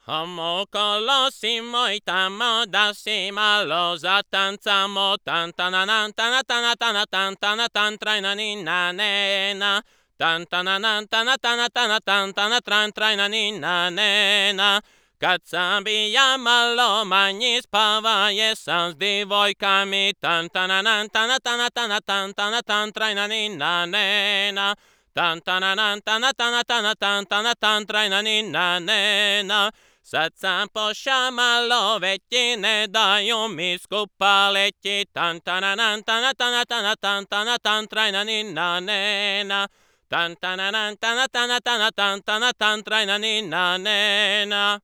Omocolossimo itamo dassimo lo zatanzamo tantananan tanatana tanatantana tantraina ninna nena tantananan tanatana tanatantana tantraina ninna nena Kacabia malo mani spavaje sam s divojkami tantananan tanatana tanatantana tantraina ninna nena tantananan tanatana tanatantana tantraina ninna nena Sad sam pošamalo veći ne daju mi skupa leći tantananan tanatana tanatantana tantraina ninna nena tantananan tanatana tanatantana tantraina ninna nena